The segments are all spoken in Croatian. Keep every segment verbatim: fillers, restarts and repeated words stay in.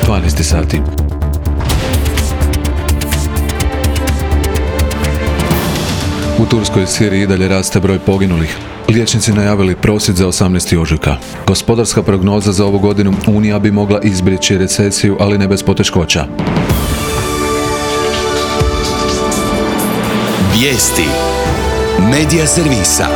dvanaest sati. U Turskoj i Siriji i dalje raste broj poginulih. Liječnici najavili prosvjed za osamnaesti ožujka. Gospodarska prognoza za ovu godinu: Unija bi mogla izbjeći recesiju, ali ne bez poteškoća. Vijesti Medija servisa.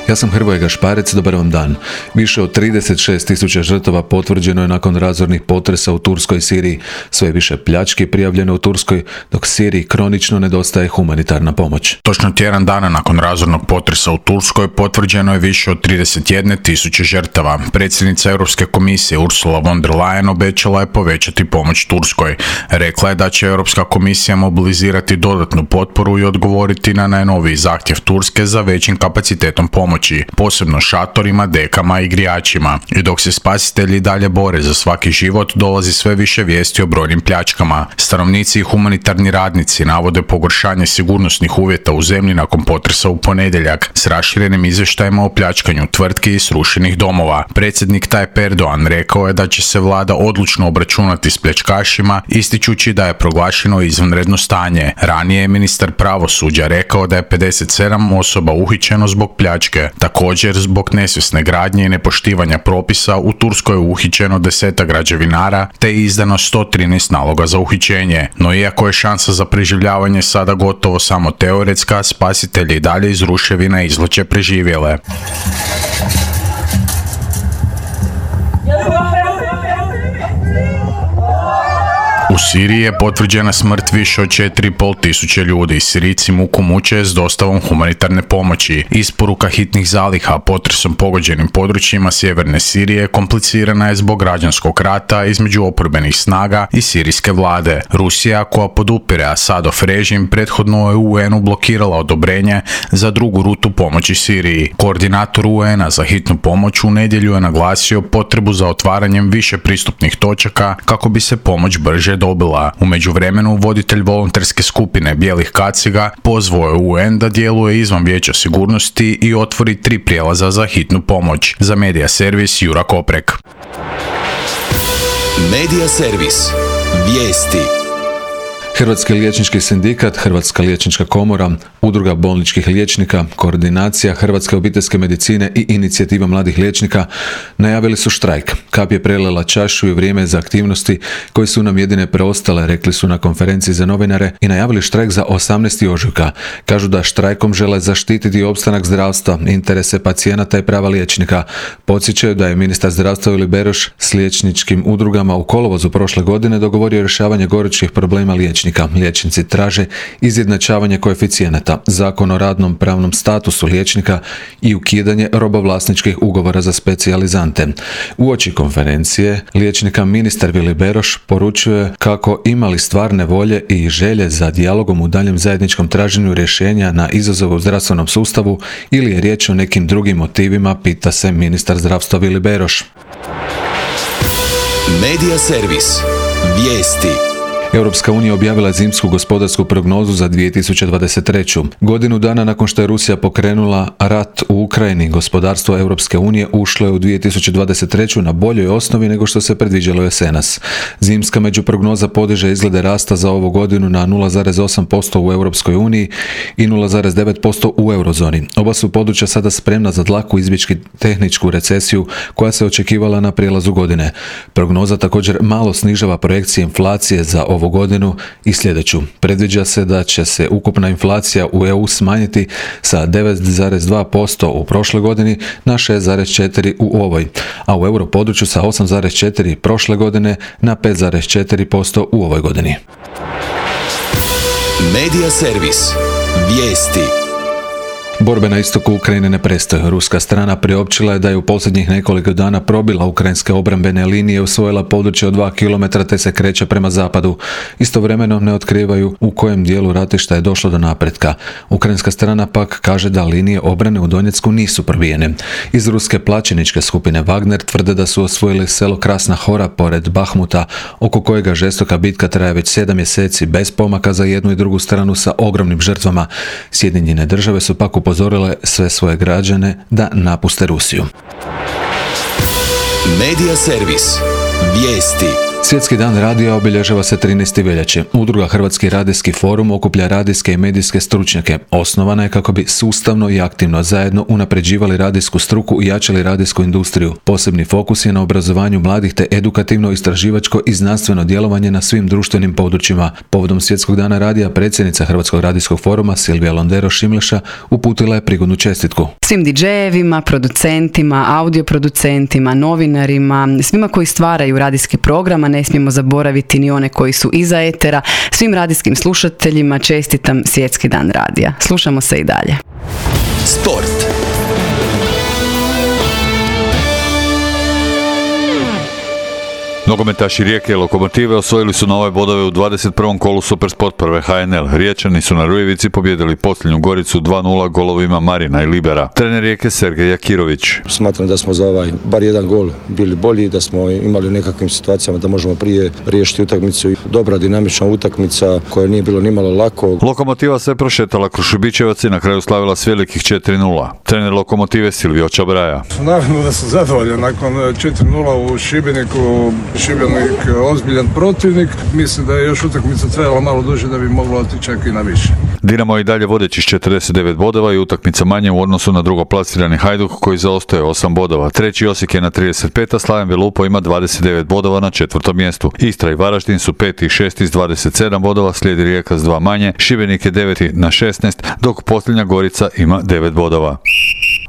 Ja sam Hrvoje Gašparec, dobar vam dan. Više od trideset šest tisuća žrtava potvrđeno je nakon razornih potresa u Turskoj i Siriji. Sve više pljački prijavljeno u Turskoj, dok Siriji kronično nedostaje humanitarna pomoć. Točno tjedan dana nakon razornog potresa u Turskoj potvrđeno je više od trideset jedne tisuće žrtava. Predsjednica Europske komisije Ursula von der Leyen obećala je povećati pomoć Turskoj. Rekla je da će Europska komisija mobilizirati dodatnu potporu i odgovoriti na najnoviji zahtjev Turske za većim kapacitetom pomoći, posebno šatorima, dekama i grijačima. I dok se spasitelji dalje bore za svaki život, dolazi sve više vijesti o brojnim pljačkama. Stanovnici i humanitarni radnici navode pogoršanje sigurnosnih uvjeta u zemlji nakon potresa u ponedjeljak, s raširenim izvještajima o pljačkanju tvrtki i srušenih domova. Predsjednik Tayyip Erdogan rekao je da će se vlada odlučno obračunati s pljačkašima, ističući da je proglašeno izvanredno stanje. Ranije je ministar pravosuđa rekao da je pedeset sedam osoba uhićeno zbog pljačke. Također, zbog nesvjesne gradnje i nepoštivanja propisa u Turskoj je uhićeno desetak građevinara te je izdano sto trinaest naloga za uhićenje. No iako je šansa za preživljavanje sada gotovo samo teoretska, spasitelji i dalje iz ruševina izvlače preživjele. U Siriji je potvrđena smrt više od četiri i pol tisuće ljudi. Sirijci muku muče s dostavom humanitarne pomoći. Isporuka hitnih zaliha potresom pogođenim područjima sjeverne Sirije komplicirana je zbog građanskog rata između oporbenih snaga i sirijske vlade. Rusija, koja podupire Asadov režim, prethodno je U N-u blokirala odobrenje za drugu rutu pomoći Siriji. Koordinator U N-a za hitnu pomoć u nedjelju je naglasio potrebu za otvaranjem više pristupnih točaka kako bi se pomoć brže dobila. U međuvremenu, voditelj volonterske skupine Bijelih kaciga pozvao je U N da djeluje izvan Vijeća sigurnosti i otvori tri prijelaza za hitnu pomoć. Za Medija servis Jura Koprek. Medija servis. Vijesti. Hrvatski liječnički sindikat, Hrvatska liječnička komora, Udruga bolničkih liječnika, Koordinacija Hrvatske obiteljske medicine i Inicijativa mladih liječnika najavili su štrajk. Kap je prelila čašu i vrijeme za aktivnosti koje su nam jedine preostale, rekli su na konferenciji za novinare, i najavili štrajk za osamnaesti ožujka. Kažu da štrajkom žele zaštititi opstanak zdravstva, interese pacijenata i prava liječnika. Podsjećaju da je ministar zdravstva Vili Beroš s liječničkim udrugama u kolovozu prošle godine dogovorio rješavanje gorućih problema liječnika. Liječnici traže izjednačavanje koeficijenata, zakon o radnom pravnom statusu liječnika i ukidanje robovlasničkih ugovora za specijalizante. Uoči konferencije liječnika ministar Vili Beroš poručuje kako imali stvarne volje i želje za dijalogom u daljem zajedničkom traženju rješenja na izazove u zdravstvenom sustavu ili je riječ o nekim drugim motivima, pita se ministar zdravstva Vili Beroš. Medija servis. Vijesti. Europska unija objavila je zimsku gospodarsku prognozu za dvije tisuće dvadeset treću. Godinu dana nakon što je Rusija pokrenula rat u Ukrajini, gospodarstvo Europske unije ušlo je u dvije tisuće dvadeset treću na boljoj osnovi nego što se predviđalo jesenas. Zimska međuprognoza podiže izglede rasta za ovu godinu na nula zarez osam posto u Europskoj uniji i nula zarez devet posto u eurozoni. Oba su područja sada spremna za dlaku izbjeći tehničku recesiju koja se očekivala na prijelazu godine. Prognoza također malo snižava projekcije inflacije za ovu godinu i sljedeću. Predviđa se da će se ukupna inflacija u E U smanjiti sa devet zarez dva posto u prošloj godini na šest zarez četiri posto u ovoj, a u europodručju sa osam zarez četiri posto prošle godine na pet zarez četiri posto u ovoj godini. Medija servis. Vijesti. Borbe na istoku Ukrajine ne prestaju. Ruska strana priopćila je da je u posljednjih nekoliko dana probila ukrajinske obrambene linije i osvojila područje od dva kilometra te se kreće prema zapadu. Istovremeno ne otkrivaju u kojem dijelu ratišta je došlo do napretka. Ukrajinska strana pak kaže da linije obrane u Donjecku nisu probijene. Iz ruske plaćeničke skupine Wagner tvrde da su osvojili selo Krasna Hora pored Bahmuta, oko kojega žestoka bitka traje već sedam mjeseci bez pomaka za jednu i drugu stranu sa ogromnim žrtvama. Sjedinjene države su pak upozorile sve svoje građane da napuste Rusiju. Medija servis. Vijesti. Svjetski dan radija obilježava se trinaestog veljače. Udruga Hrvatski radijski forum okuplja radijske i medijske stručnjake. Osnovana je kako bi sustavno i aktivno zajedno unapređivali radijsku struku i jačali radijsku industriju. Posebni fokus je na obrazovanju mladih te edukativno, istraživačko i znanstveno djelovanje na svim društvenim područjima. Povodom Svjetskog dana radija predsjednica Hrvatskog radijskog foruma Silvija Londero Šimleša uputila je prigodnu čestitku. Svim didžejevima, producentima, audioproducentima, novinarima, svima koji stvaraju radijski program, a ne smijemo zaboraviti ni one koji su iza etera, svim radijskim slušateljima čestitam Svjetski dan radija. Slušamo se i dalje. Sport. Nogometaši Rijeke i Lokomotive osvojili su nove bodove u dvadeset prvom kolu Supersport prve H N L. Riječani su na Rujevici pobijedili Posljednju Goricu dva nula golovima Marina i Libera. Trener Rijeke Sergej Jakirović. Smatram da smo za ovaj bar jedan gol bili bolji, da smo imali u nekakvim situacijama da možemo prije riješiti utakmicu. Dobra dinamična utakmica koja nije bilo nimalo lako. Lokomotiva se prošetala kroz Šibićevac i na kraju slavila s velikih četiri nula. Trener Lokomotive Silvio Čabraja. Naravno da sam zadovoljan nakon četiri nula u Šibeniku. Šibenik ozbiljan protivnik. Mislim da je još utakmica trajala malo duže da bi moglo otići čak i na više. Dinamo i dalje vodeći s četrdeset devet bodova i utakmica manje u odnosu na drugoplasirani Hajduk koji zaostaje osam bodova. Treći Osijek je na trideset pet, a Slaven Belupo ima dvadeset devet bodova na četvrtom mjestu. Istra i Varaždin su peti i šesti s dvadeset sedam bodova, slijedi Rijeka s dva manje, Šibenik je deveti na šesnaest, dok Posljednja Gorica ima devet bodova.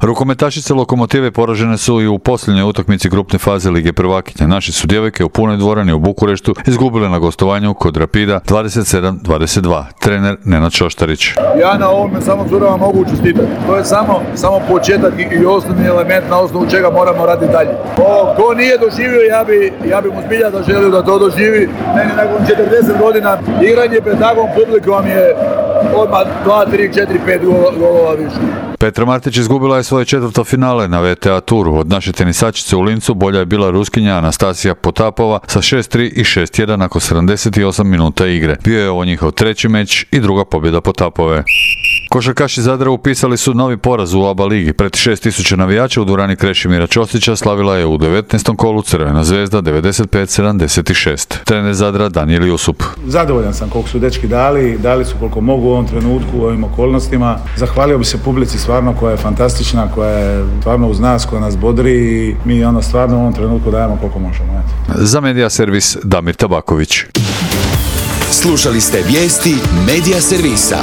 Rukometašice Lokomotive poražene su i u posljednjoj utakmici grupne faze Lige prvakinja. Naši su djevojke u punoj dvorani u Bukureštu izgubile na gostovanju kod Rapida dvadeset sedam dvadeset dva. Trener Nenad Šoštarić. Ja na ovome samo curama mogu čestitati. To je samo, samo početak i osnovni element na osnovu čega moramo raditi dalje. O, ko nije doživio, ja bi, ja bi mu zbilja da želio da to doživi. Meni nakon četrdeset godina igranje pred takvom publikom je odmah dva, tri, četiri, pet golova više. Petra Martić izgubila je svoje četvrto finale na V T A turu. Od naše tenisačice u Lincu bolja je bila Ruskinja Anastasija Potapova sa šest tri i šest jedan nakon sedamdeset osam minuta igre. Bio je ovo njihov treći meč i druga pobjeda Potapove. Košarkaši Zadra upisali su novi poraz u A B A ligi. Pred šest tisuća navijača u dvorani Krešimira Ćosića slavila je u devetnaestom kolu Crvena Zvezda devedeset pet sedamdeset šest. Trener Zadra Danijel Jusup. Zadovoljan sam koliko su dečki dali, dali su koliko mogu u ovom trenutku, u ovim okolnostima. Zahvalio bi se publici stvarno koja je fantastična, koja je stvarno uz nas, koja nas bodri i mi ono stvarno u ovom trenutku dajemo koliko možemo. Za Medija Servis Damir Tabaković. Slušali ste vijesti Medija Servisa.